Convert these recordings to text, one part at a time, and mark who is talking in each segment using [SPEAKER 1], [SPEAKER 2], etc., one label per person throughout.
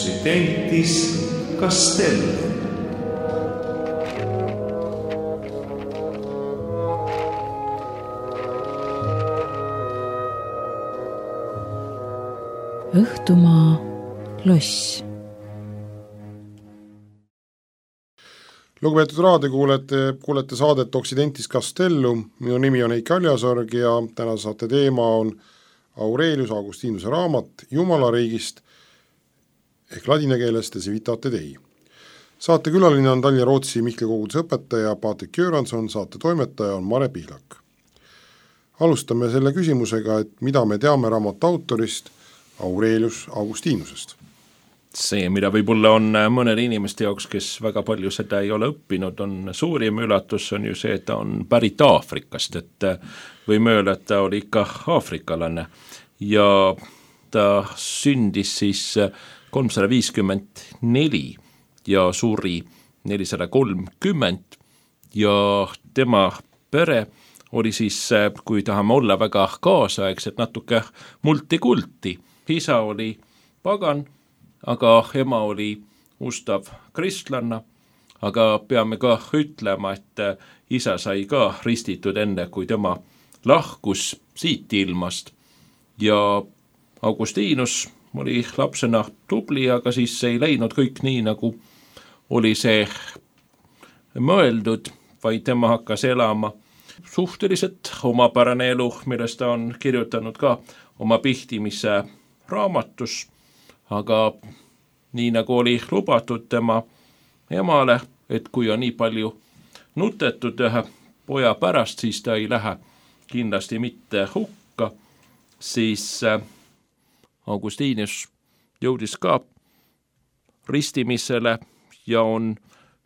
[SPEAKER 1] Occidentis Castellum.
[SPEAKER 2] Õhtumaa loss.
[SPEAKER 3] Lugupeetud raadiokuulete saadet Occidentis Castellum. Minu nimi on Eiki Aljasorg ja täna saate teema on Aurelius Augustinuse raamat Jumalariigist ehk ladina keeles De Civitate Dei. Saate külaline on Tallinna Rootsi Mihkli koguduse õpetaja Patrik Göransson, saate toimetaja on Mare Pihlak. Alustame selle küsimusega, et mida me teame raamatu autorist Aurelius Augustinusest.
[SPEAKER 4] See, mida võib-olla on mõnede inimeste jaoks, kes väga palju seda ei ole õppinud, on suurim üllatus on ju see, et ta on pärit Aafrikast, et võime öelda, et ta oli ikka aafrikalane ja ta sündis siis 354 ja suri 430 ja tema pere oli siis, kui tahame olla väga kaasaegset, natuke multikulti. Isa oli pagan, aga ema oli ustav kristlanna, aga peame ka ütlema, et isa sai ka ristitud enne, kui tema lahkus siit ilmast. Ja Augustinus oli lapsena tubli, aga siis ei läinud kõik nii, nagu oli see mõeldud, vaid tema hakkas elama suhteliselt omapärane elu, millest ta on kirjutanud ka oma pihtimise raamatus, aga nii nagu oli lubatud tema emale, et kui on nii palju nutetud ühe poja pärast, siis ta ei lähe kindlasti mitte hukka, siis Augustinus jõudis ka ristimisele ja on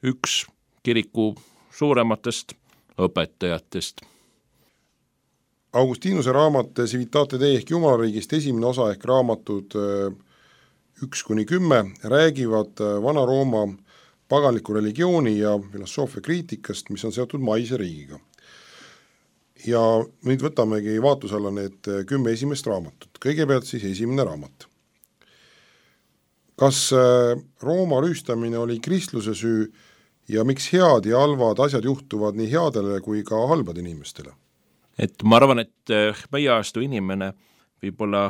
[SPEAKER 4] üks kiriku suurematest õpetajatest.
[SPEAKER 3] Augustinuse raamat De Civitate Dei ehk Jumalariigist esimene osa ehk raamatud 1-10 räägivad Vana-Rooma paganliku religiooni ja filosoofia kriitikast, mis on seotud maise riigiga. Ja nüüd võtamegi vaatluse alla need 10 esimest raamatut. Kõigepealt siis esimene raamat. Kas Rooma rüüstamine oli kristluse süü ja miks head ja halvad asjad juhtuvad nii headele kui ka halbad inimestele?
[SPEAKER 4] Et ma arvan, et meie ajastu inimene võib-olla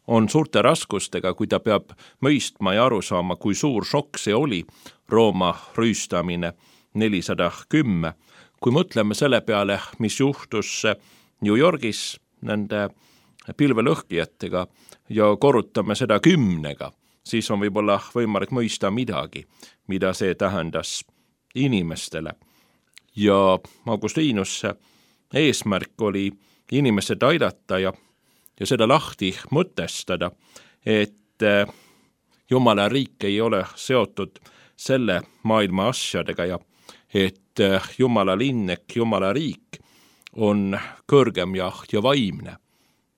[SPEAKER 4] on suurte raskustega, kui ta peab mõistma ja aru saama, kui suur šokk see oli Rooma rüüstamine 410. Kui mõtleme selle peale, mis juhtus New Yorgis nende pilvelõhkijatega ja korrutame seda 10, siis on võib-olla võimalik mõista midagi, mida see tähendas inimestele. Ja Augustinus eesmärk oli inimesed aidata ja seda lahti mõtestada, et Jumala riik ei ole seotud selle maailma asjadega ja et Jumala linn ehk Jumala riik on kõrgem ja vaimne.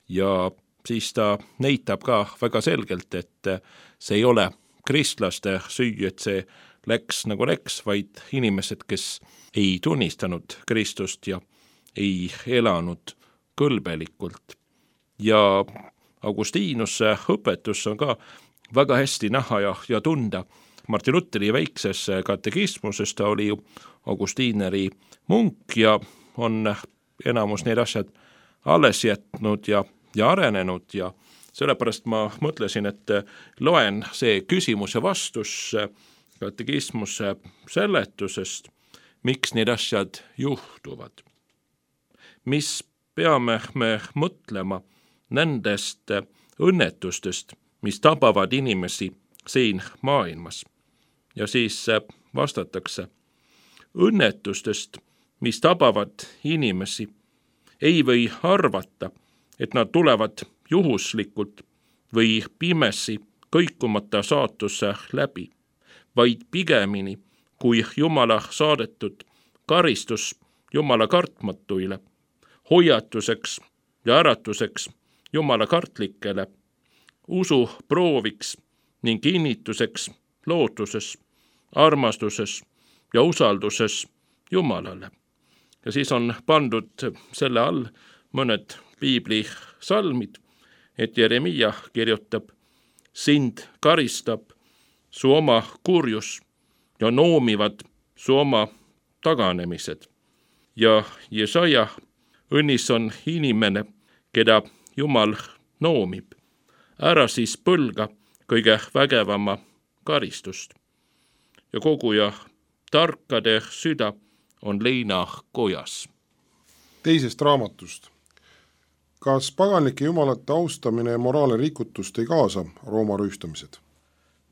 [SPEAKER 4] Ja siis ta näitab ka väga selgelt, et see ei ole kristlaste süü, et see läks nagu läks, vaid inimesed, kes ei tunnistanud Kristust ja ei elanud kõlbelikult. Ja Augustinuse õpetus on ka väga hästi näha ja tunda. Martin Lutheri väikses katekismuses ta oli ju Augustineri munk ja on enamus need asjad alles jätnud ja arenenud ja sellepärast ma mõtlesin, et loen see küsimus ja vastus katekismuse seletusest, miks need asjad juhtuvad. Mis peame me mõtlema nendest õnnetustest, mis tabavad inimesi siin maailmas. Ja siis vastatakse, õnnetustest, mis tabavad inimesi, ei või arvata, et nad tulevad juhuslikult või pimesi kõikumata saatuse läbi, vaid pigemini kui Jumala saadetud karistus Jumala kartmatuile, hoiatuseks ja äratuseks Jumala kartlikele, usu prooviks ning kinnituseks lootuses, armastuses ja usalduses Jumalale. Ja siis on pandud selle all mõned piibli salmid, et Jeremia kirjutab, sind karistab su oma kurjus ja noomivad su oma taganemised. Ja Jesaja, õnnis on inimene, keda Jumal noomib. Ära siis põlga kõige vägevama karistust. Ja koguja tarkade süda on leina kojas.
[SPEAKER 3] Teisest raamatust. Kas paganlike jumalate austamine ja moraalne rikutust ei kaasa Rooma rüüstamised?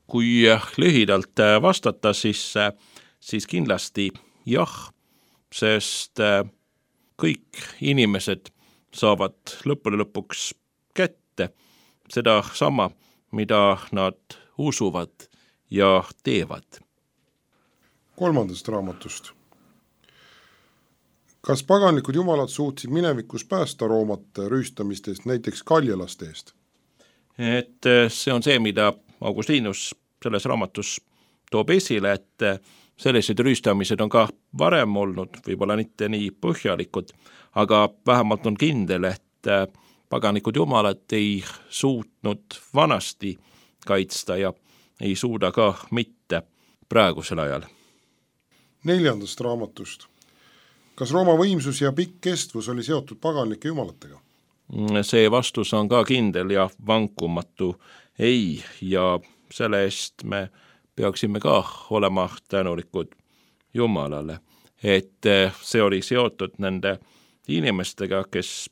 [SPEAKER 4] Kui lühidalt vastata, siis kindlasti jah, sest kõik inimesed saavad lõppude lõpuks kätte seda sama, mida nad usuvad ja teevad.
[SPEAKER 3] Kolmandast raamatust. Kas paganlikud jumalad suutsid minevikus päästa Roomat rüüstamistest, näiteks kaljelaste eest?
[SPEAKER 4] Et see on see, mida Augustinus selles raamatus toob esile, et sellised rüüstamised on ka varem olnud, võib-olla mitte nii põhjalikud, aga vähemalt on kindel, et paganlikud jumalad ei suutnud vanasti kaitsta ja ei suuda ka mitte praegusel ajal.
[SPEAKER 3] Neljandast raamatust. Kas Rooma võimsus ja pikk kestvus oli seotud paganlike jumalatega?
[SPEAKER 4] See vastus on ka kindel ja vankumatu ei, ja selle eest me peaksime ka olema tänulikud Jumalale, et see oli seotud nende inimestega, kes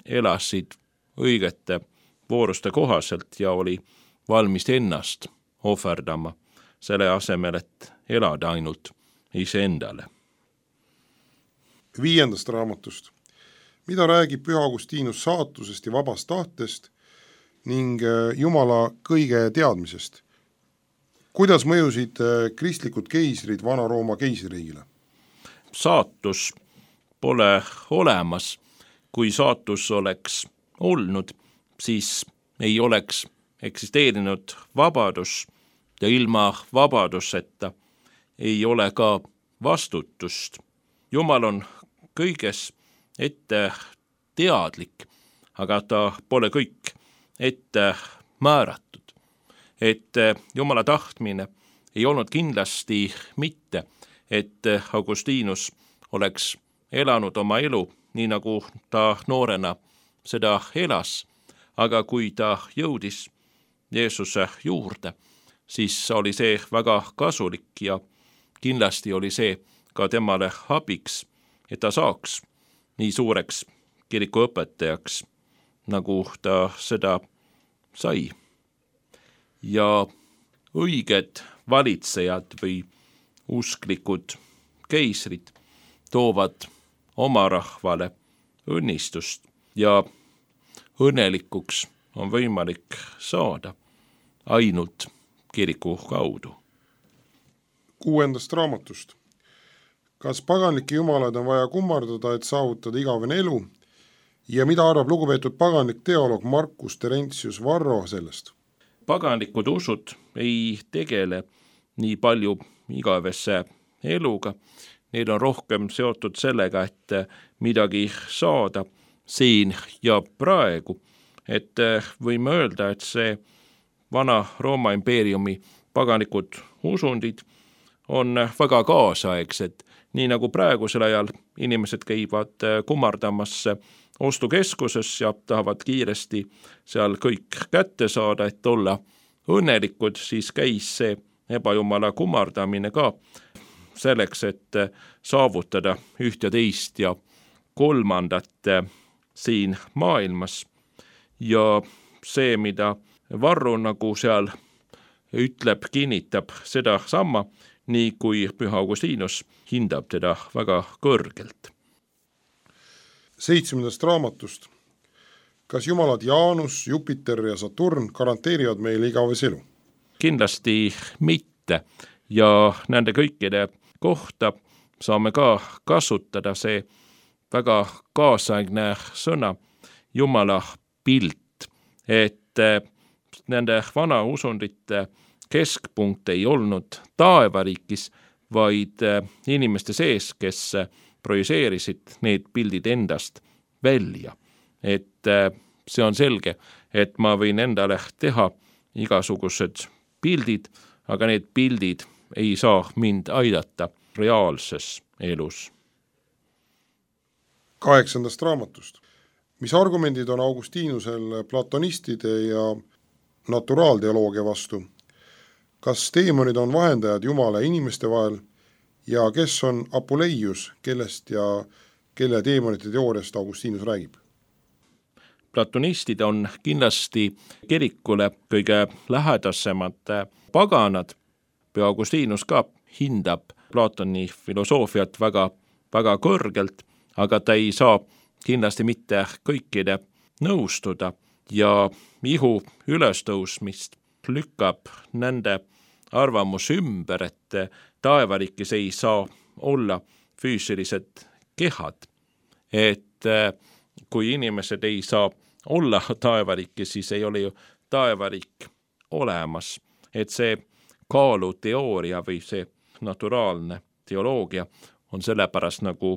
[SPEAKER 4] elasid õigete vooruste kohaselt ja oli valmis ennast ohverdama selle asemel, et elada ainult iseendale.
[SPEAKER 3] Viiendast raamatust. Mida räägib Püha Augustinus saatusest ja vabast tahtest ning Jumala kõige teadmisest? Kuidas mõjusid kristlikud keisrid Vana-Rooma keisririigile?
[SPEAKER 4] Saatus pole olemas. Kui saatus oleks olnud, siis ei oleks eksisteerinud vabadus ja ilma vabaduseta ei ole ka vastutust. Jumal on kõiges ette teadlik, aga ta pole kõik ette määratud. Et Jumala tahtmine ei olnud kindlasti mitte, et Augustinus oleks elanud oma elu nii nagu ta noorena seda elas, aga kui ta jõudis Jeesuse juurde, siis oli see väga kasulik ja kindlasti oli see ka temale abiks, et ta saaks nii suureks kirikuõpetajaks, nagu ta seda sai. Ja õiged valitsejad või usklikud keisrid toovad oma rahvale õnnistust ja õnnelikuks on võimalik saada ainult kiriku kaudu.
[SPEAKER 3] Kuuendast raamatust. Kas paganlike jumalad on vaja kummardada, et saavutada igavene elu ja mida arvab lugupeetud paganlik teoloog Marcus Terentius Varro sellest?
[SPEAKER 4] Paganlikud usud ei tegele nii palju igavesse eluga. Need on rohkem seotud sellega, et midagi saada siin ja praegu. Et võime öelda, et see vana Rooma impeeriumi paganlikud usundid on väga kaasaegsed. Nii nagu praegusel ajal inimesed käivad kummardamas ostukeskuses ja tahavad kiiresti seal kõik kätte saada, et olla õnnelikud, siis käis see ebajumala kummardamine ka selleks, et saavutada üht ja teist ja kolmandat siin maailmas. Ja see, mida Varro nagu seal ütleb, kinnitab seda sama, nii kui Püha Augustinus hindab teda väga kõrgelt.
[SPEAKER 3] 7. raamatust. Kas jumalad Jaanus, Jupiter ja Saturn garanteerivad meile igavese elu?
[SPEAKER 4] Kindlasti mitte ja nende kõikide kohta saame ka kasutada see väga kaasaegne sõna Jumala pilt, et nende vana usundite keskpunkt ei olnud taevariigis, vaid inimeste sees, kes projiseerisid need pildid endast välja. Et see on selge, et ma võin endale teha igasugused pildid, aga need pildid ei saa mind aidata reaalses elus.
[SPEAKER 3] 8. raamatust. Mis argumendid on Augustinusel platonistide ja naturaalteoloogia vastu? Kas teemonid on vahendajad Jumala ja inimeste vahel ja kes on Apuleius, kellest ja kelle teemonite teooriast Augustinus räägib?
[SPEAKER 4] Platonistid on kindlasti kirikule kõige lähedasemad paganad. Püha Augustinus ka hindab Platoni filosoofiat väga, väga kõrgelt, aga ta ei saa kindlasti mitte kõikide nõustuda ja ihu ülestõusmist lükkab nende arvamus ümber, et taevariigis ei saa olla füüsilised kehad. Et kui inimesed ei saa olla taevariigis, siis ei ole ju taevariik olemas. Et see kaaluteooria või see naturaalne teoloogia on sellepärast nagu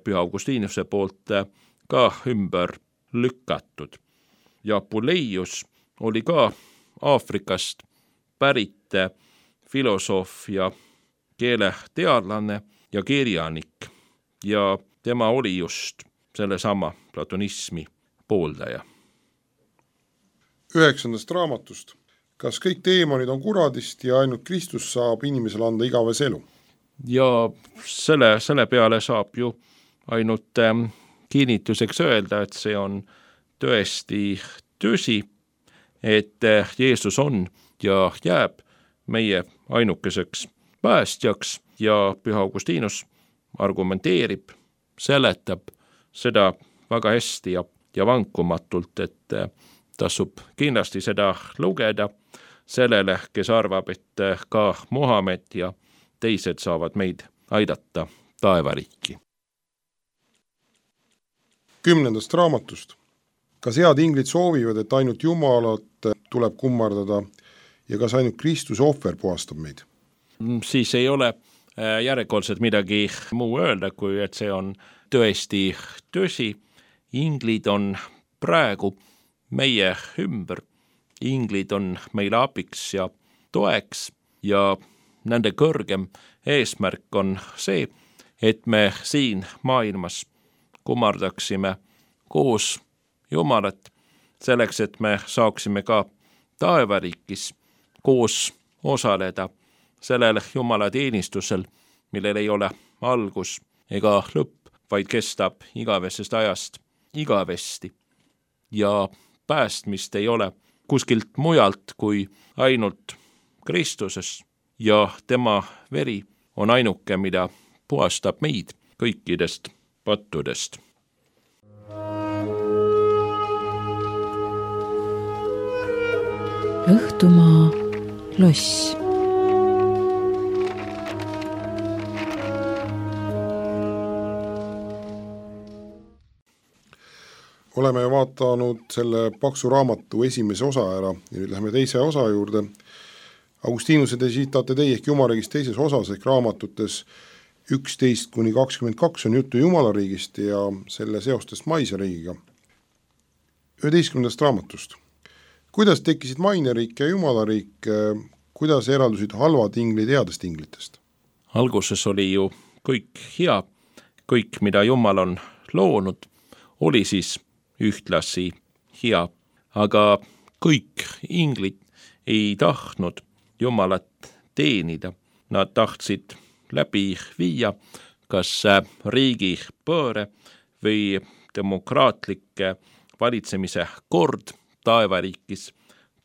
[SPEAKER 4] Püha Augustinuse poolt ka ümber lükatud. Ja Apuleius oli ka Aafrikast pärit filosoof ja keeleteadlane ja kirjanik ja tema oli just sellesama platonismi pooldaja.
[SPEAKER 3] 9. raamatust. Kas kõik teemonid on kuradist ja ainult Kristus saab inimesele anda igavese elu?
[SPEAKER 4] Ja selle peale saab ju ainult kinnituseks öelda, et see on tõesti tõsi, et Jeesus on ja jääb meie ainukeseks päästjaks ja Püha Augustinus argumenteerib, seletab seda väga hästi ja vankumatult, et tasub kindlasti seda lugeda sellele, kes arvab, et ka Muhamed ja teised saavad meid aidata taevariiki.
[SPEAKER 3] 10. raamatust. Kas head inglid soovivad, et ainult Jumalat tuleb kummardada ja kas ainult Kristuse ohver puhastab meid?
[SPEAKER 4] Siis ei ole järjekordselt midagi muu öelda, kui et see on tõesti tõsi. Inglid on praegu meie ümber. Inglid on meile abiks ja toeks ja nende kõrgem eesmärk on see, et me siin maailmas kummardaksime koos Jumalat, selleks, et me saaksime ka taevariigis koos osaleda sellel Jumala teenistusel, millel ei ole algus ega lõpp, vaid kestab igavesest ajast igavesti. Ja päästmist ei ole kuskilt mujalt kui ainult Kristuses ja tema veri on ainuke, mida puhastab meid kõikidest pattudest.
[SPEAKER 2] Õhtumaa loss.
[SPEAKER 3] Oleme vaatanud selle paksu raamatu esimese osa ära ja nüüd läheme teise osa juurde. Augustinuse te siitate teie ehk Jumalariigist teises osas ehk raamatutes 11-22 on juttu Jumalariigist ja selle seostest maise riigiga. 11. raamatust. Kuidas tekkisid maineriik ja Jumalariik, kuidas eraldusid halvad inglid headest inglitest?
[SPEAKER 4] Alguses oli ju kõik hea, kõik mida Jumal on loonud, oli siis ühtlasi hea, aga kõik inglid ei tahtnud Jumalat teenida. Nad tahtsid läbi viia kas riigi pööre või demokraatlike valitsemise kord taevariigis,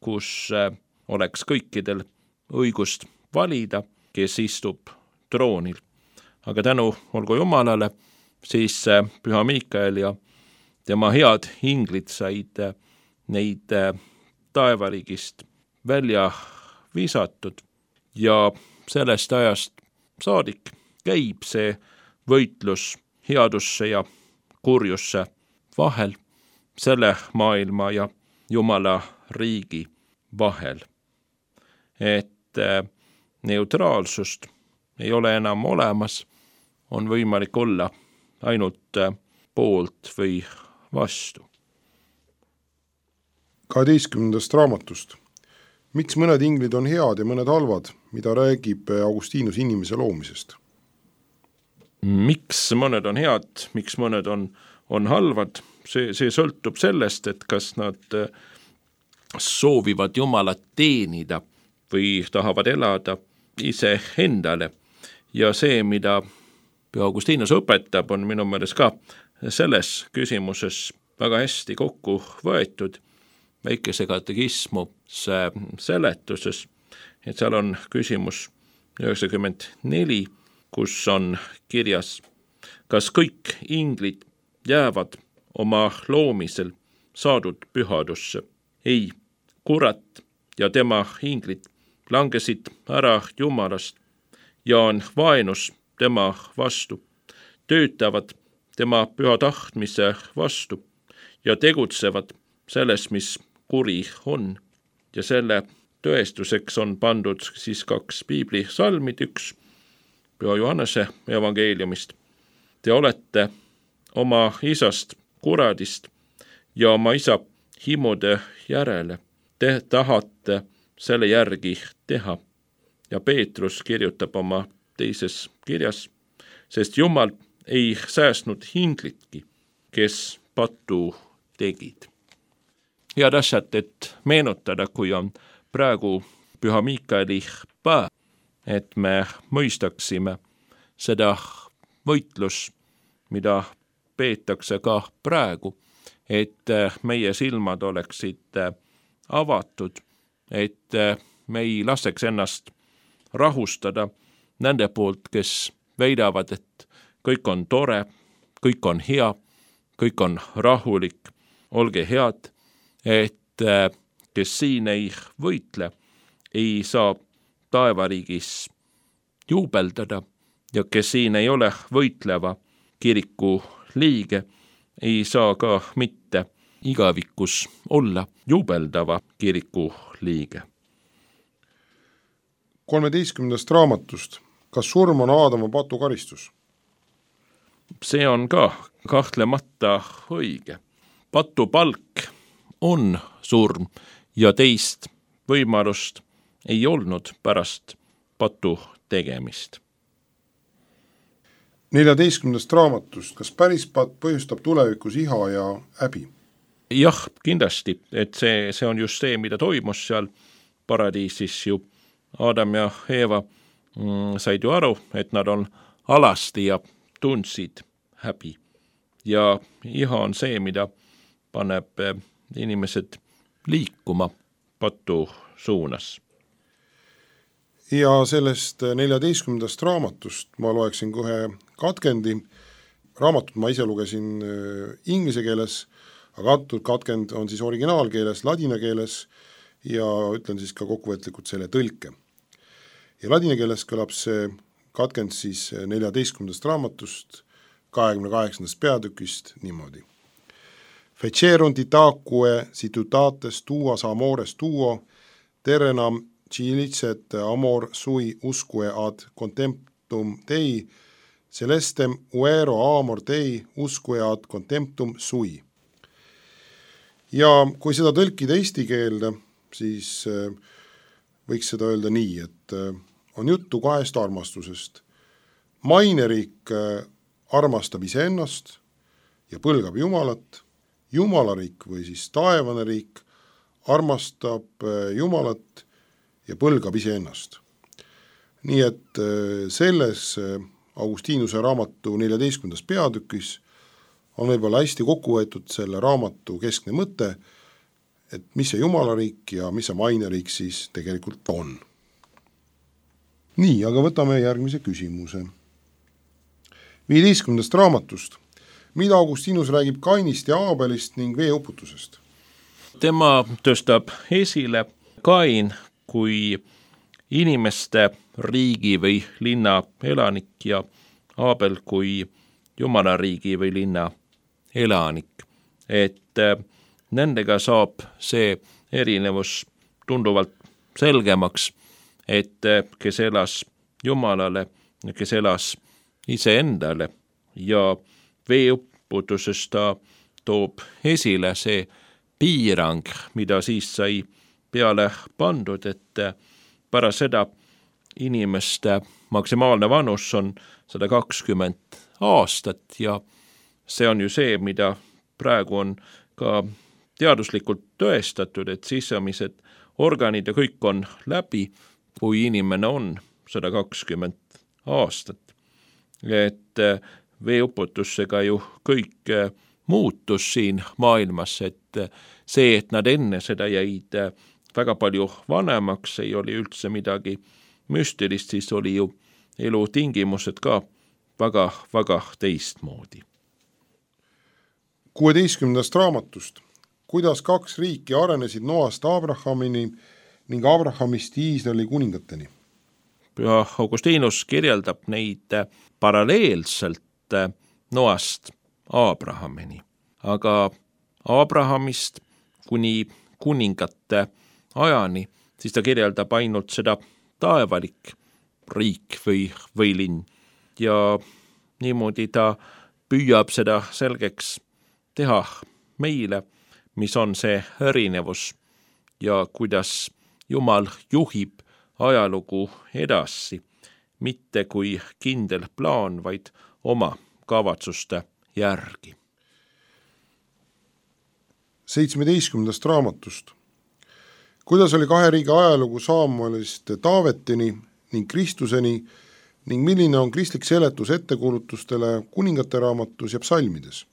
[SPEAKER 4] kus oleks kõikidel õigust valida, kes istub troonil. Aga tänu olgu Jumalale, siis Püha Miikael ja tema head inglid said neid taevariigist välja visatud ja sellest ajast saadik käib see võitlus headusse ja kurjusse vahel, selle maailma ja Jumala riigi vahel. Et neutraalsust ei ole enam olemas, on võimalik olla ainult poolt või vastu.
[SPEAKER 3] 12. raamatust. miks mõned inglid on head ja mõned halvad, mida räägib Augustinus inimese loomisest?
[SPEAKER 4] Miks mõned on head, miks mõned on halvad, see sõltub sellest, et kas nad soovivad Jumalat teenida või tahavad elada ise endale. Ja see, mida Augustinus õpetab, on minu meelest ka selles küsimuses väga hästi kokku võetud väikese katekismu seletuses, et seal on küsimus 94, kus on kirjas, kas kõik inglid jäävad oma loomisel saadud pühadusse? Ei, kurat ja tema inglid langesid ära Jumalast ja on vaenus tema vastu, töötavad tema püha tahtmise vastu ja tegutsevad selles, mis kuri on. Ja selle tõestuseks on pandud siis 2 piibli salmid, 1 Püha Johannese evangeeliumist. Te olete oma isast kuradist ja oma isa himude järele. Te tahate selle järgi teha. Ja Peetrus kirjutab oma teises kirjas, sest Jumal ei säästnud inglitki, kes pattu tegid. Head asjad, et meenutada, kui on praegu Püha Miikaeli päev, et me mõistaksime seda võitlus, mida peetakse ka praegu, et meie silmad oleksid avatud, et me ei laseks ennast rahustada nende poolt, kes väidavad, et kõik on tore, kõik on hea, kõik on rahulik, olge head, et kes siin ei võitle, ei saa taevariigis juubeldada ja kes siin ei ole võitleva kiriku liige, ei saa ka mitte igavikus olla juubeldava kiriku liige.
[SPEAKER 3] 13. raamatust. Kas surm on Aadama patu karistus?
[SPEAKER 4] See on ka kahtlemata õige. Patu palk on surm ja teist võimalust ei olnud pärast patu tegemist.
[SPEAKER 3] 14. raamatust. Kas päris patt põhjustab tulevikus iha ja häbi?
[SPEAKER 4] Jah, kindlasti, et see on just see, mida toimus seal paradiisis ju. Adam ja Eeva said ju aru, et nad on alasti ja tundsid häbi. Ja iha on see, mida paneb inimesed liikuma patu suunas.
[SPEAKER 3] Ja sellest 14. raamatust ma loeksin kohe katkendi. Raamatut ma ise lugesin inglise keeles, aga antud katkend on siis originaalkeeles, ladina keeles ja ütlen siis ka kokkuvõtlikult selle tõlke. Ja ladina keeles kõlab see katkend siis 14. raamatust 28. peatükist niimoodi. Fecerunt itaque situtates tuas amores tuo, terrenam cilicet amor sui usque ad contemptum Dei, celestem uero amor Dei usque ad contemptum sui. Ja kui seda tõlkida eesti keelde, siis võiks seda öelda nii, et on juttu 2 armastusest. Maineriik armastab iseennast ja põlgab Jumalat, Jumalariik või siis taevane riik armastab Jumalat ja põlgab iseennast. Nii et selles Augustinuse raamatu 14. peatükis on võib-olla hästi kokku võetud selle raamatu keskne mõte, et mis see Jumalariik ja mis see maineriik siis tegelikult on. Nii, aga võtame järgmise küsimuse. 15. raamatust. Mida Augustinus räägib Kainist ja Aabelist ning veeuputusest?
[SPEAKER 4] Tema tõstab esile Kain kui inimeste riigi või linna elanik ja Aabel kui Jumala riigi või linna elanik. Et nendega saab see erinevus tunduvalt selgemaks, et kes elas Jumalale ja kes elas iseendale ja veeuputuses ta toob esile see piirang, mida siis sai peale pandud, et pärast seda inimeste maksimaalne vanus on 120 aastat ja see on ju see, mida praegu on ka teaduslikult tõestatud, et sisemised organid ja kõik on läbi, kui inimene on 120 aastat. Et veeuputusega ju kõik muutus siin maailmas, et see, et nad enne seda jäid väga palju vanemaks, ei oli üldse midagi müstilist, siis oli ju elutingimused ka väga teistmoodi.
[SPEAKER 3] 16. raamatust. Kuidas 2 riiki arenesid Noast Abrahamini ning Abrahamist Iisraeli kuningateni?
[SPEAKER 4] Püha Augustinus kirjeldab neid paralleelselt Noast Abrahamini, aga Abrahamist kuni kuningate ajani, siis ta kirjeldab ainult seda taevalik riik või linn ja niimoodi ta püüab seda selgeks teha meile, mis on see erinevus ja kuidas Jumal juhib ajalugu edasi, mitte kui kindel plaan, vaid oma kavatsuste järgi.
[SPEAKER 3] 17. raamatust. Kuidas oli 2 riigi ajalugu Saamuelist Taavetini ning Kristuseni ning milline on kristlik seletus ettekuulutustele kuningate raamatus ja psalmides?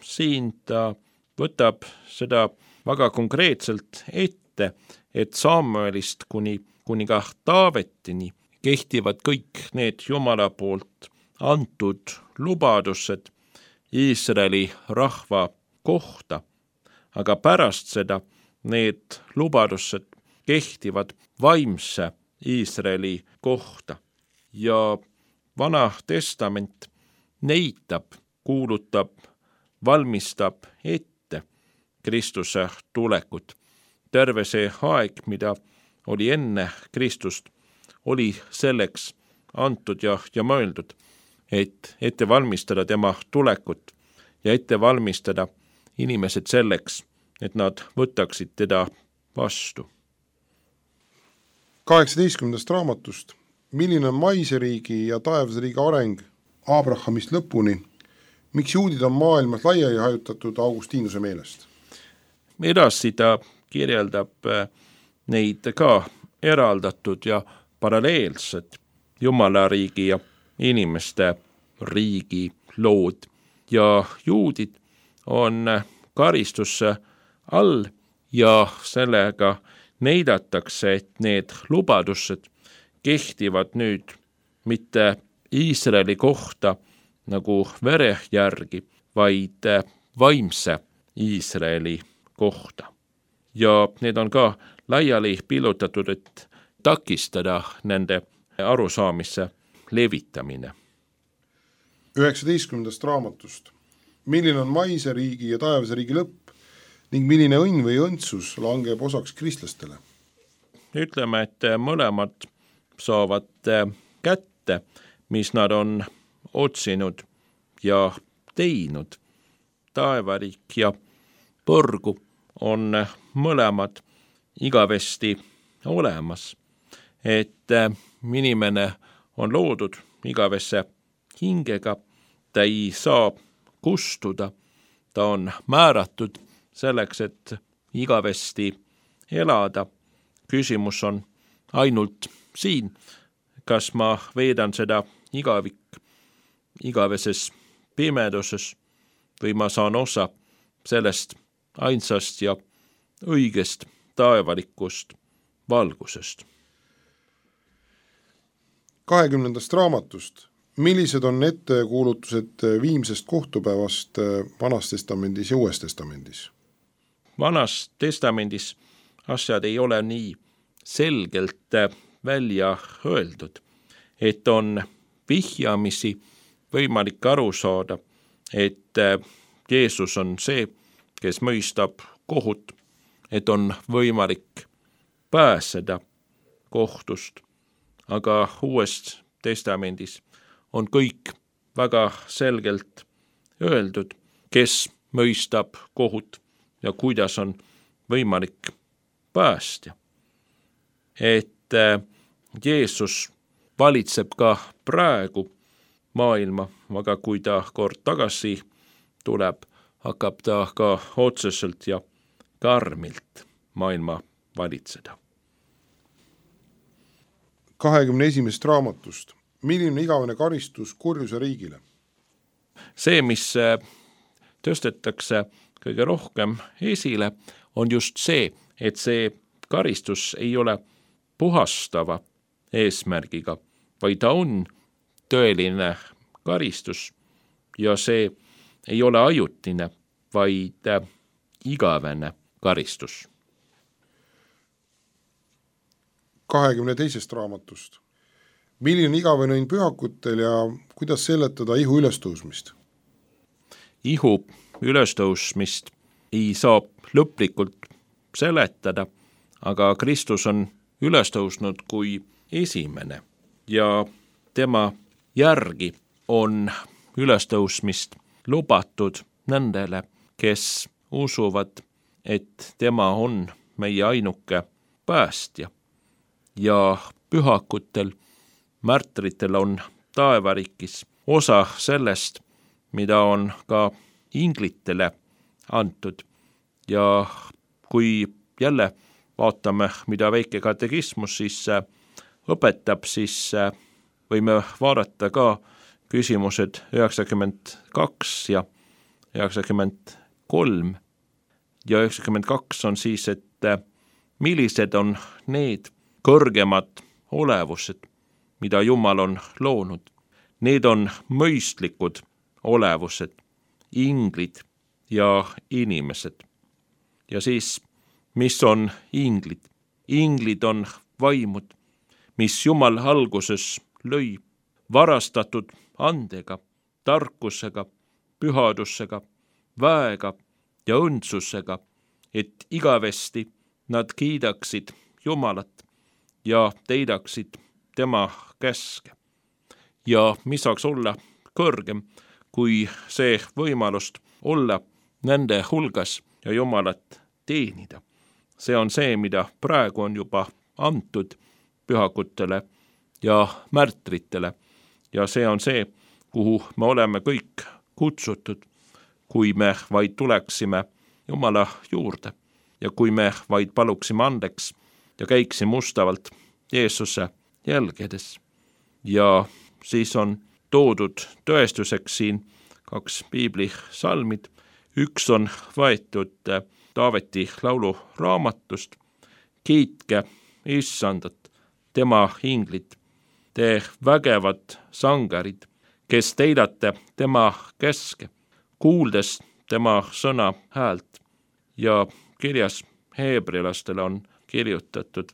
[SPEAKER 4] Siin ta võtab seda väga konkreetselt ette, et Saamuelist kuni kuninga Taavetini kehtivad kõik need Jumala poolt antud lubadused Iisraeli rahva kohta, aga pärast seda need lubadused kehtivad vaimse Iisraeli kohta ja Vana Testament näitab, kuulutab, valmistab ette Kristuse tulekut. Terve see aeg, mida oli enne Kristust, oli selleks antud ja mõeldud, et ette valmistada tema tulekut ja ette valmistada inimesed selleks, et nad võtaksid teda vastu.
[SPEAKER 3] 18. raamatust. Milline on maiseriigi ja taevasriigi areng Abrahamist lõpuni? Miks juudid on maailmas laiali hajutatud Augustinuse meelest?
[SPEAKER 4] Edasi ta kirjeldab neid ka eraldatud ja paralleelsed Jumala riigi ja inimeste riigi lood ja juudid on karistusse all ja sellega näidatakse, et need lubadused kehtivad nüüd mitte Iisraeli kohta nagu vere järgi, vaid vaimse Iisraeli kohta. Ja need on ka laiali pillutatud, et takistada nende arusaamisse levitamine.
[SPEAKER 3] 19. raamatust. Milline on maise riigi ja taevase riigi lõpp ning milline õnn või õndsus langeb osaks kristlastele?
[SPEAKER 4] Ütleme, et mõlemad saavad kätte, mis nad on otsinud ja teinud. Taevariik ja põrgu on mõlemad igavesti olemas, et inimene on loodud igavesse hingega, ta ei saa kustuda, ta on määratud selleks, et igavesti elada. Küsimus on ainult siin, kas ma veedan seda igaveses pimeduses või ma saan osa sellest ainsast ja õigest taevalikust valgusest.
[SPEAKER 3] 20. raamatust. Millised on ettekuulutused viimsest kohtupäevast Vanas testamendis ja Uues testamendis?
[SPEAKER 4] Vanas testamendis asjad ei ole nii selgelt välja öeldud, et on vihjamisi võimalik aru saada, et Jeesus on see, kes mõistab kohut, et on võimalik pääseda kohtust, aga Uues testamendis on kõik väga selgelt öeldud, kes mõistab kohut ja kuidas on võimalik päästja. Et Jeesus valitseb ka praegu maailma, aga kui ta kord tagasi tuleb, hakkab ta ka otseselt ja karmilt maailma valitseda.
[SPEAKER 3] 21. raamatust. Milline igavene karistus kurjuse riigile?
[SPEAKER 4] See, mis tõstetakse kõige rohkem esile, on just see, et see karistus ei ole puhastava eesmärgiga, vaid ta on tõeline karistus ja see ei ole ajutine, vaid igavene karistus.
[SPEAKER 3] 22. raamatust. Milline igavene õnn pühakutel ja kuidas seletada ihu ülestõusmist?
[SPEAKER 4] Ihu ülestõusmist ei saa lõplikult seletada, aga Kristus on ülestõusnud kui esimene ja tema järgi on ülestõusmist lubatud nendele, kes usuvad, et tema on meie ainuke päästja ja pühakutel, märtritel on taevariigis osa sellest, mida on ka inglitele antud. Ja kui jälle vaatame, mida väike katekismus siis õpetab, siis võime vaadata ka küsimused 92 ja 93. Ja 92 on siis, et millised on need kõrgemad olevused, mida Jumal on loonud. Need on mõistlikud olevused, inglid ja inimesed. Ja siis, mis on inglid? Inglid on vaimud, mis Jumal alguses lõi, varastatud andega, tarkusega, pühadusega, väega ja õndsusega, et igavesti nad kiidaksid Jumalat ja teidaksid tema käske. Ja mis saaks olla kõrgem, kui see võimalust olla nende hulgas ja Jumalat teenida. See on see, mida praegu on juba antud pühakutele ja märtritele. Ja see on see, kuhu me oleme kõik kutsutud, kui me vaid tuleksime Jumala juurde ja kui me vaid paluksime andeks ja käiksime ustavalt Jeesuse jälgedes. Ja siis on toodud tõestuseks siin 2 piibli salmid. Üks on võetud Taaveti laulu raamatust. Kiitke Issandat, tema inglid, te vägevad sangarid, kes teidate tema käske, kuuldes tema sõna häält. Ja kirjas heebrilastele on kirjutatud,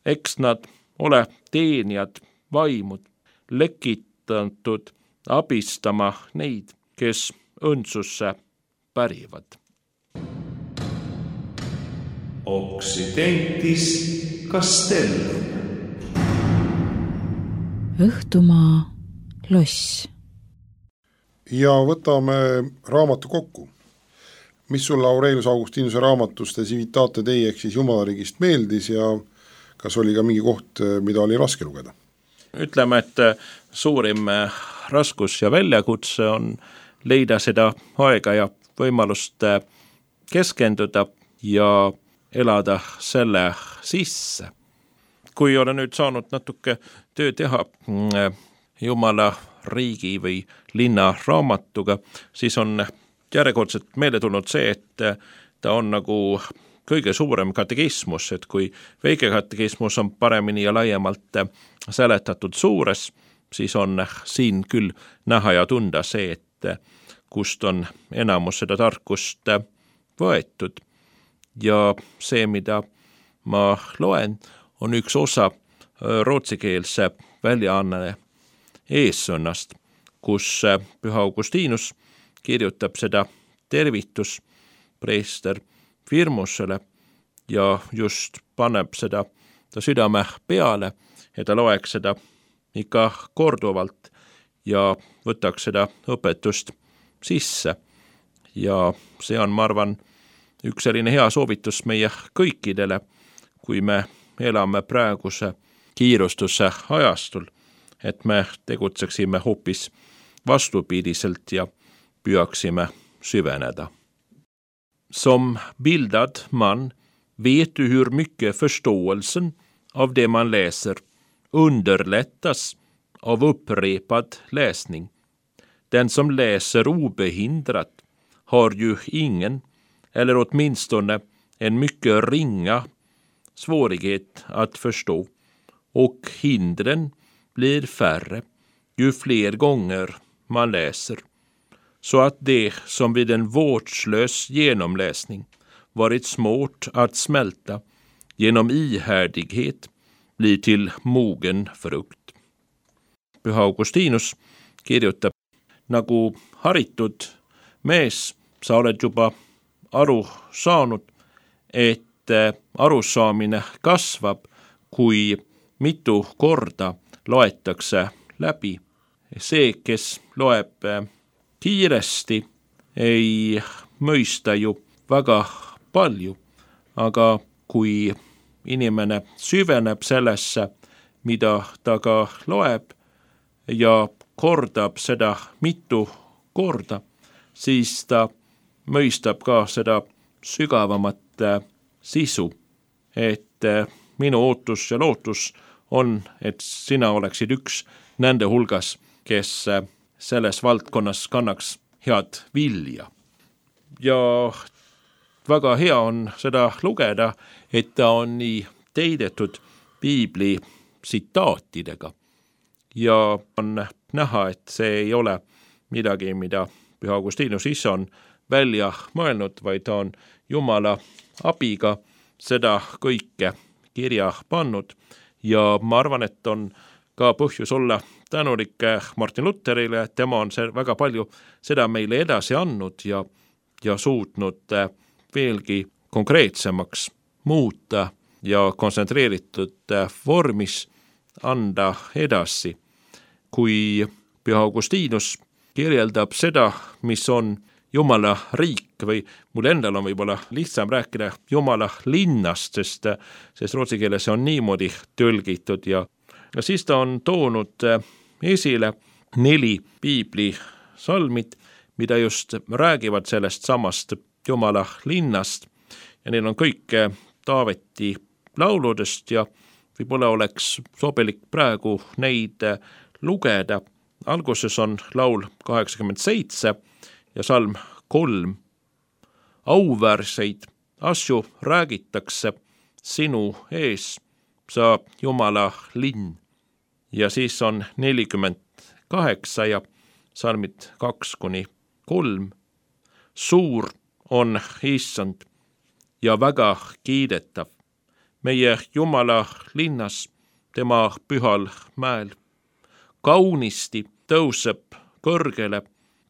[SPEAKER 4] eks nad ole teenijad vaimud, lekitatud abistama neid, kes õndsusse pärivad.
[SPEAKER 1] Occidentis Castellum.
[SPEAKER 2] Õhtumaa loss.
[SPEAKER 3] Ja võtame raamatu kokku. Mis sulle Aurelius Augustinuse raamatust Civitate Dei ehk siis Jumalariigist meeldis ja kas oli ka mingi koht, mida oli raske lugeda?
[SPEAKER 4] Ütleme, et suurim raskus ja väljakutse on leida seda aega ja võimalust keskenduda ja elada selle sisse. Kui olen nüüd saanud natuke töö teha Jumala riigi või linna raamatuga, siis on järjekordselt meelde tulnud see, et ta on nagu kõige suurem katekismus, et kui väike katekismus on paremini ja laiemalt seletatud suures, siis on siin küll näha ja tunda see, et kust on enamus seda tarkust võetud. Ja see, mida ma loen, on üks osa rootsikeelse väljaanne eessõnnast, kus Püha Augustinus kirjutab seda tervitus preester Firmusele ja just paneb seda ta südame peale, ja ta loeks seda ikka korduvalt ja võtaks seda õpetust sisse. Ja see on, ma arvan, üks selline hea soovitus meie kõikidele, kui me elame praeguse kiirustuse ajastul, et me tegutseksime hoopis vastupidiselt ja püüaksime süveneda. Som bildad man vet du hur mycket förståelsen av det man läser underlättas av upprepad läsning. Den som läser obehindrat har ju ingen, eller åtminstone en mycket ringa svårighet att förstå, och hindren blir färre ju fler gånger man läser, så att det som vid en vårdslös genomläsning varit svårt att smälta genom ihärdighet blir till mogen frukt. Püha Augustinus kirjutab, nagu haritud mees, sa oled juba aru saanud, et arusaamine kasvab, kui mitu korda loetakse läbi. See, kes loeb kiiresti, ei mõista ju väga palju, aga kui inimene süveneb sellesse, mida ta ka loeb ja kordab seda mitu korda, siis ta mõistab ka seda sügavamat sisu, et minu ootus ja lootus on, et sina oleksid üks nende hulgas, kes selles valdkonnas kannaks head vilja. Ja väga hea on seda lugeda, et ta on nii teidetud piibli tsitaatidega. Ja on näha, et see ei ole midagi, mida Püha Augustinus ise on välja mõelnud, vaid ta on Jumala abiga seda kõike kirja pannud. Ja ma arvan, et on ka põhjus olla tänulik Martin Lutherile, et tema on väga palju seda meile edasi andnud ja suutnud veelgi konkreetsemaks muuta ja kontsentreeritud vormis anda edasi. Kui Püha Augustinus kirjeldab seda, mis on Jumala riik, või mul endal on võib-olla lihtsam rääkida Jumala linnast, sest rootsi keeles on niimoodi tõlgitud, ja siis ta on toonud esile 4 piibli salmid, mida just räägivad sellest samast Jumala linnast, ja neil on kõik Taaveti lauludest ja võib-olla oleks sobilik praegu neid lugeda. Alguses on laul 87 ja salm 3. Auväärseid asju räägitakse sinu ees, sa Jumala linn. Ja siis on 48 ja salmid 2-3. Suur on Issand ja väga kiidetav meie Jumala linnas, tema pühal mäel. Kaunisti tõuseb kõrgele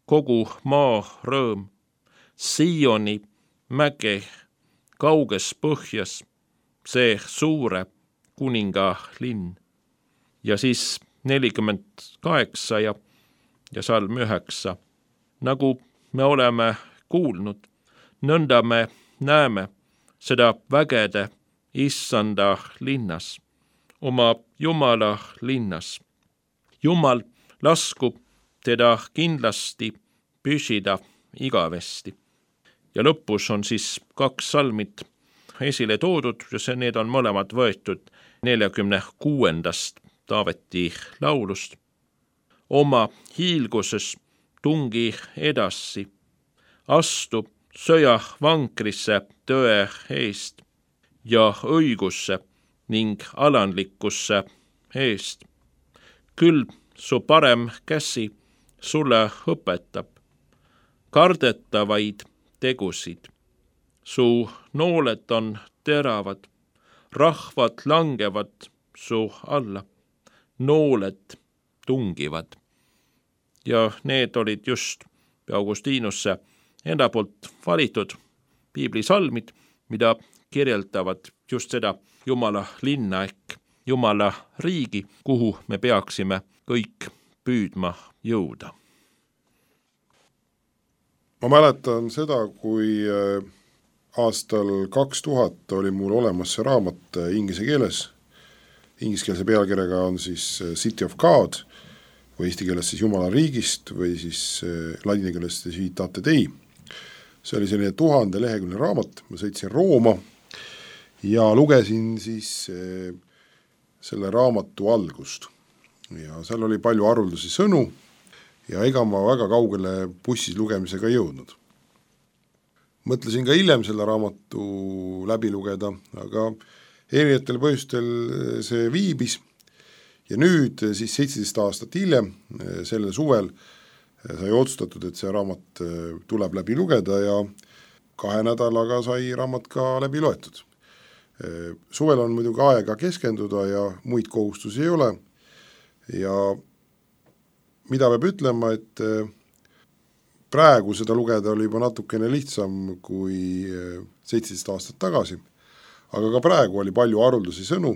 [SPEAKER 4] kogu maa rõõm. Sioni mäge kauges põhjas, see suure kuninga linn. Ja siis 48 ja salm 9. Nagu me oleme kuulnud, nõnda me näeme seda vägede Issanda linnas, oma Jumala linnas. Jumal laskub teda kindlasti püsida igavesti. Ja lõpus on siis 2 salmid esile toodud, ja need on mõlemad võetud 46. Taaveti laulust. Oma hiilguses tungi edasi, astu sõja vankrisse tõe eest ja õigusse ning alandlikkusse eest. Küll su parem käsi sulle õpetab kardetavaid tegusid. Su nooled on teravad, rahvad langevad su alla, nooled tungivad. Ja need olid just Augustinusse enda poolt valitud piiblisalmid, mida kirjeldavad just seda Jumala linna ehk Jumala riigi, kuhu me peaksime kõik püüdma jõuda.
[SPEAKER 3] Ma mäletan seda, kui aastal 2000 oli mul olemas see raamat inglise keeles, ingliskeelse pealkirjaga on siis City of God või eesti keeles siis Jumala riigist või siis ladina keeles Civitate Dei. See oli selline 1000 leheküljeline raamat, ma sõitsin Rooma ja lugesin siis selle raamatu algust ja seal oli palju haruldasi sõnu ja ega ma väga kaugele bussis lugemisega jõudnud. Mõtlesin ka hiljem selle raamatu läbi lugeda, aga erinevatel põhjustel see viibis ja nüüd siis 17 aastat hiljem, sellel suvel sai otsustatud, et see raamat tuleb läbi lugeda ja 2 nädalaga sai raamat ka läbi loetud. Suvel on muidugi aega keskenduda ja muid kohustusi ei ole ja mida peab ütlema, et praegu seda lugeda oli juba natukene lihtsam kui 17 aastat tagasi, aga ka praegu oli palju haruldasi sõnu,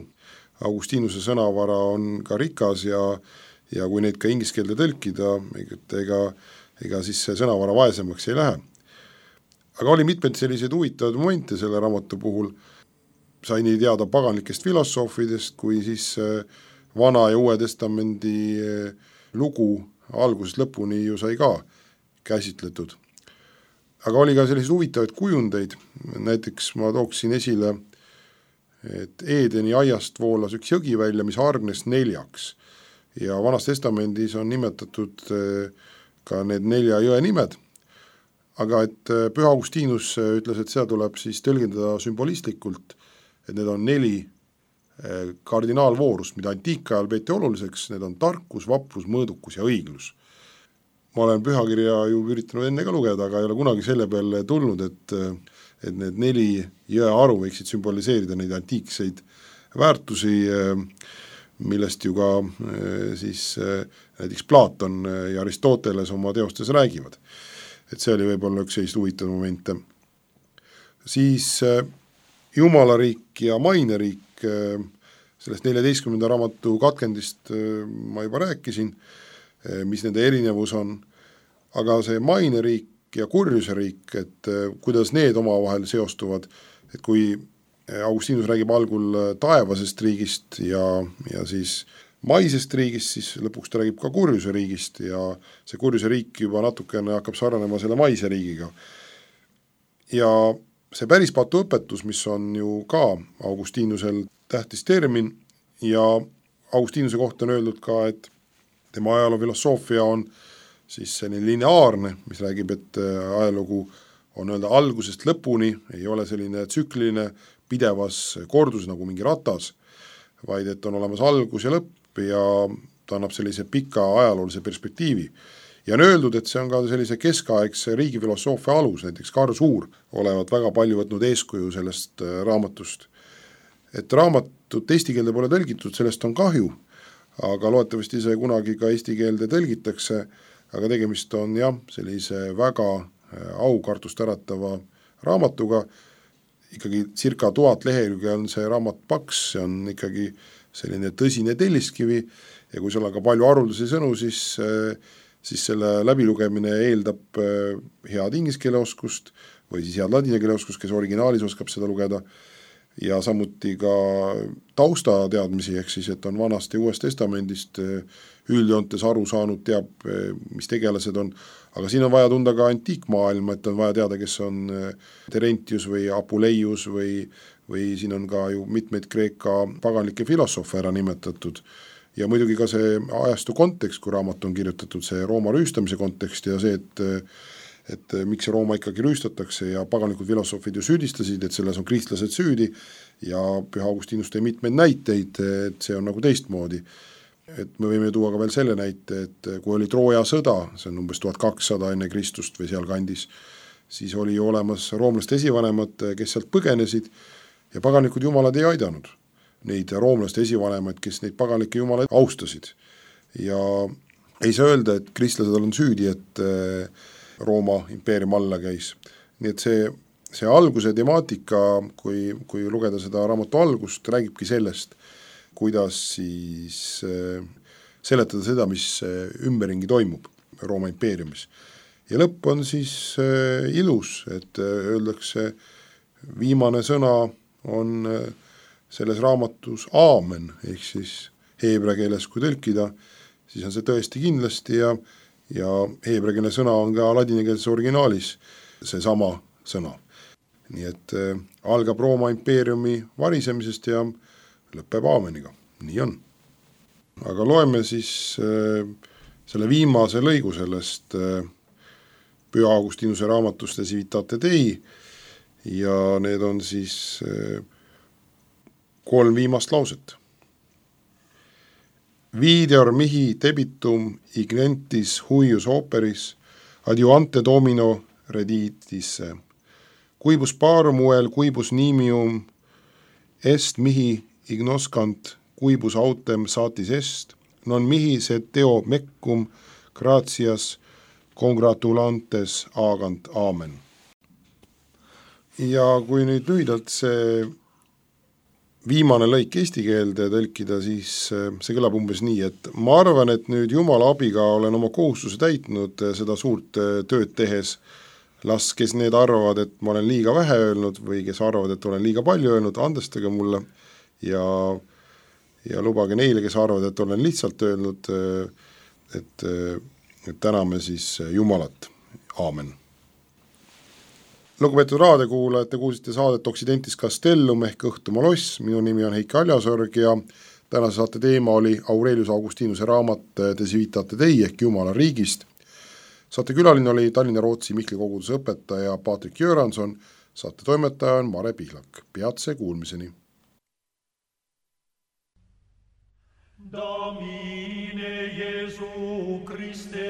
[SPEAKER 3] Augustinuse sõnavara on ka rikas ja kui neid ka inglise keelde tõlkida, ega siis see sõnavara vaesemaks ei lähe. Aga oli mitmed sellised huvitavad momente selle raamatu puhul, sai nii teada paganlikest filosoofidest, kui siis Vana ja Uue Testamendi lugu algusest lõpuni ju sai ka käsitletud. Aga oli ka selliseid huvitavaid kujundeid, näiteks ma tooksin esile, et Eedeni aiast voolas üks jõgi välja, mis hargnes 4 ja Vanas Testamendis on nimetatud ka need 4 jõe nimed, aga et Püha Augustinus ütles, et seda tuleb siis tõlgendada sümbolistlikult, et need on 4 kardinaalvoorust, mida antiikajal peeti oluliseks, need on tarkus, vaprus, mõõdukus ja õiglus. Ma olen pühakirja ju üritanud enne ka lugeda, aga ei ole kunagi selle peale tulnud, et need 4 jõe aru võiksid sümboliseerida neid antiikseid väärtusi, millest ju ka siis näiteks Platon ja Aristoteles oma teostes räägivad. Et see oli võib-olla üks sellist huvitav momente. Siis Jumalariik ja maineriik, sellest 14. raamatu katkendist ma juba rääkisin, mis nende erinevus on, aga see maineriik ja kurjuse riik, et kuidas need omavahel seostuvad, et kui Augustinus räägib algul taevasest riigist ja siis maisest riigist, siis lõpuks ta räägib ka kurjuse riigist ja see kurjuse riik juba natukene hakkab sarnanema selle maise riigiga. Ja see päris patu õpetus, mis on ju ka Augustinusel tähtis termin ja Augustinuse kohta on öeldud ka, et tema ajaloo filosoofia on siis selline lineaarne, mis räägib, et ajalugu on öelda algusest lõpuni, ei ole selline tsükliline pidevas kordus nagu mingi ratas, vaid et on olemas algus ja lõpp ja ta annab sellise pika ajaloolise perspektiivi. Ja on öeldud, et see on ka sellise keskaegse riigifilosoofia alus, näiteks Karl Suur olevat väga palju võtnud eeskuju sellest raamatust. Et raamatut eesti keelde pole tõlgitud, sellest on kahju, aga loodetavasti see kunagi ka eesti keelde tõlgitakse, aga tegemist on jah, sellise väga aukartust äratava raamatuga, ikkagi circa 1000 lehekülge on see raamat paks, see on ikkagi selline tõsine telliskivi ja kui seal on ka palju haruldasi sõnu, siis selle läbilugemine eeldab head inglise keele oskust või siis head ladina keele oskust, kes originaalis oskab seda lugeda ja samuti ka taustateadmisi, ehk siis, et on Vanast ja Uuest Testamendist üldjoontes aru saanud, teab, mis tegelased on, aga siin on vaja tunda ka antiikmaailma, et on vaja teada, kes on Terentius või Apuleius või siin on ka ju mitmeid Kreeka paganlikke filosoofe ära nimetatud ja muidugi ka see ajastu kontekst, kui raamat on kirjutatud, see Rooma rüüstamise kontekst ja see, et miks see Rooma ikkagi rüüstatakse ja paganlikud filosoofid ju süüdistasid, et selles on kristlased süüdi ja Püha Augustinus tõi mitmeid näiteid, et see on nagu teistmoodi. Et me võime tuua ka veel selle näite, et kui oli Trooja sõda, see on umbes 1200 enne Kristust või seal kandis, siis oli ju olemas roomlaste esivanemad, kes sealt põgenesid ja paganlikud jumalad ei aidanud neid roomlaste esivanemaid, kes neid paganlikke jumalaid austasid. Ja ei saa öelda, et kristlased on süüdi, et Rooma impeerium alla käis. Nii et see alguse temaatika, kui lugeda seda raamatu algust, räägibki sellest, kuidas siis seletada seda, mis ümberringi toimub Rooma impeeriumis. Ja lõpp on siis ilus, et öeldakse viimane sõna on selles raamatus aamen, ehk siis heebrea keeles kui tõlkida, siis on see tõesti kindlasti ja heebrea keele sõna on ka ladinakeelses originaalis seesama sõna. Nii et algab Rooma impeeriumi varisemisest ja lõpeb aameniga, nii on. Aga loeme siis selle viimase lõigu sellest Püha Augustinuse raamatust De Civitate Dei ja need on siis 3 viimast lauset. Videor mihi debitum ignentis huius operis adiuante domino reditisse. Quibus parum uel quibus nimium est mihi ignoscant quibus autem satis est, non mihi sed deo meccum gratias congratulantes agant aamen. Ja kui nüüd lühidalt see viimane lõik eesti keelde tõlkida, siis see kõlab umbes nii, et ma arvan, et nüüd Jumala abiga olen oma kohustuse täitnud seda suurt tööd tehes. Las, kes need arvavad, et ma olen liiga vähe öelnud või kes arvavad, et olen liiga palju öelnud, andestage mulle ja lubage neile, kes arvavad, et olen lihtsalt öelnud, et täname siis Jumalat. Aamen. Lugupeetud raadiokuulajad, te kuulsite saadet Occidentis Castellum ehk Õhtumaa loss. Minu nimi on Heiki Aljasorg ja tänase saate teema oli Aurelius Augustinuse raamat De Civitate Dei ehk Jumala riigist. Saate külaline oli Tallinna Rootsi Mihkli koguduse õpetaja Patrik Jõranson, saate toimetaja on Mare Pihlak. Peatse kuulmiseni. Domine Jesu Christe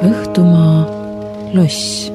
[SPEAKER 2] Õhtumaa loss.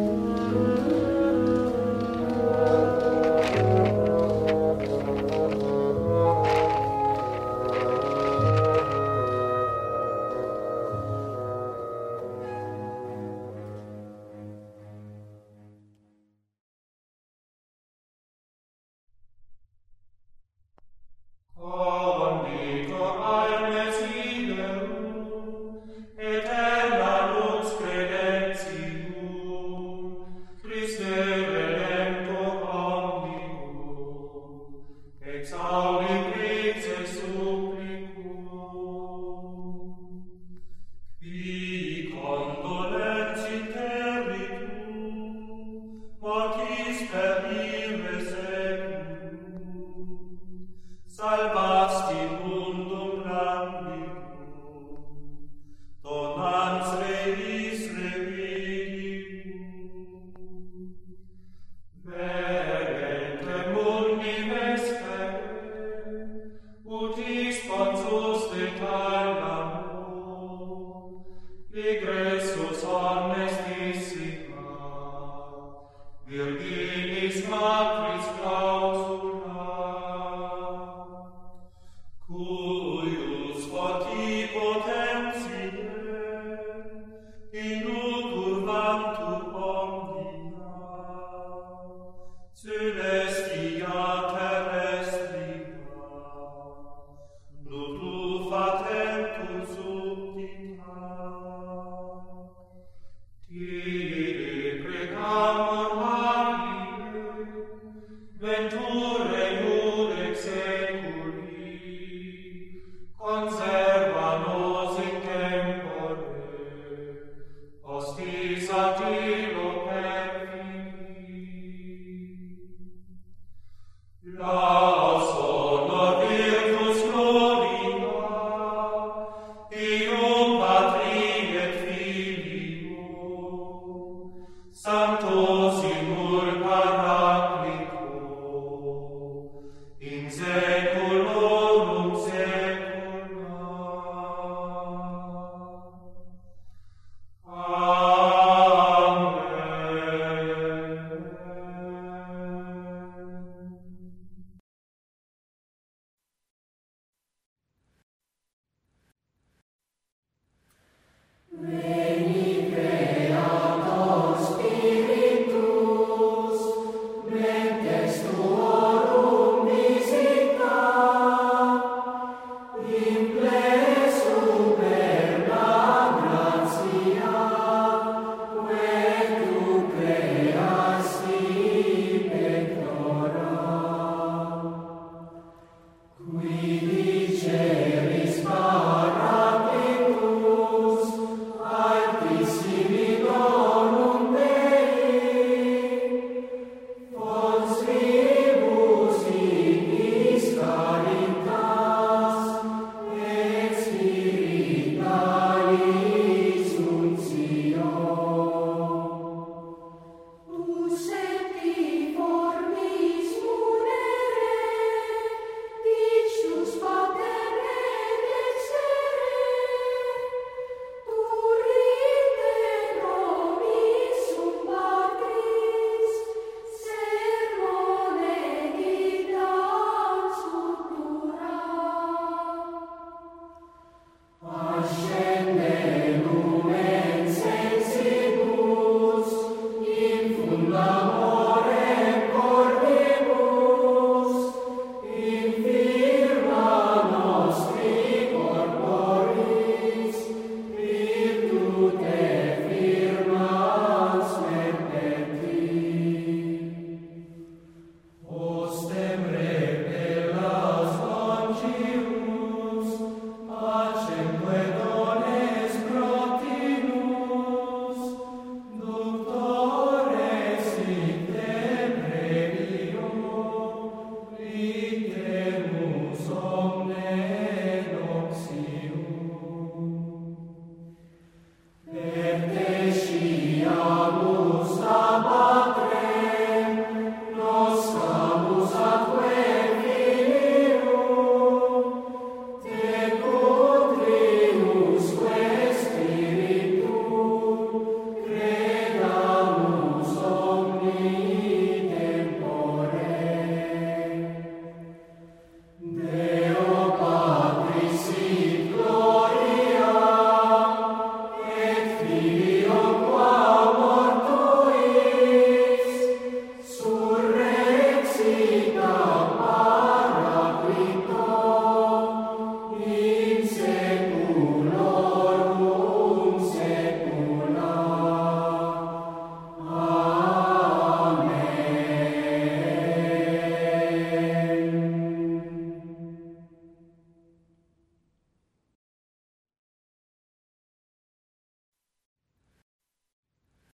[SPEAKER 5] Sancto